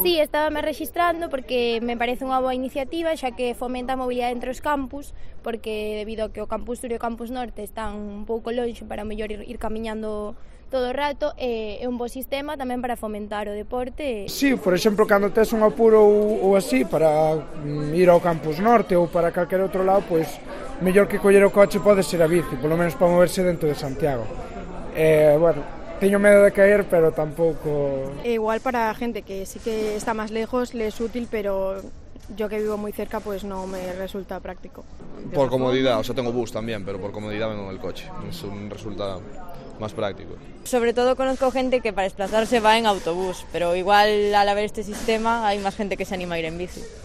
Sí, estábame rexistrando porque me parece unha boa iniciativa, xa que fomenta a mobilidade entre os campus, porque debido a que o campus sur e o campus norte están un pouco lonxe para mellor ir camiñando todo o rato, é un bo sistema tamén para fomentar o deporte. Sí, por exemplo, cando tes un apuro ou así para ir ao campus norte ou para calquer outro lado, pois mellor que coller o coche pode ser a bici, polo menos para moverse dentro de Santiago. Bueno, teño medo de caer, pero tampouco... Igual para gente que sí que está más lejos le es útil, pero yo que vivo muy cerca pues no me resulta práctico. Por comodidad, o sea, tengo bus también, pero por comodidad vengo en el coche. Eso me resulta más práctico. Sobre todo conozco gente que para desplazarse va en autobús, pero igual al haber este sistema hay más gente que se anima a ir en bici.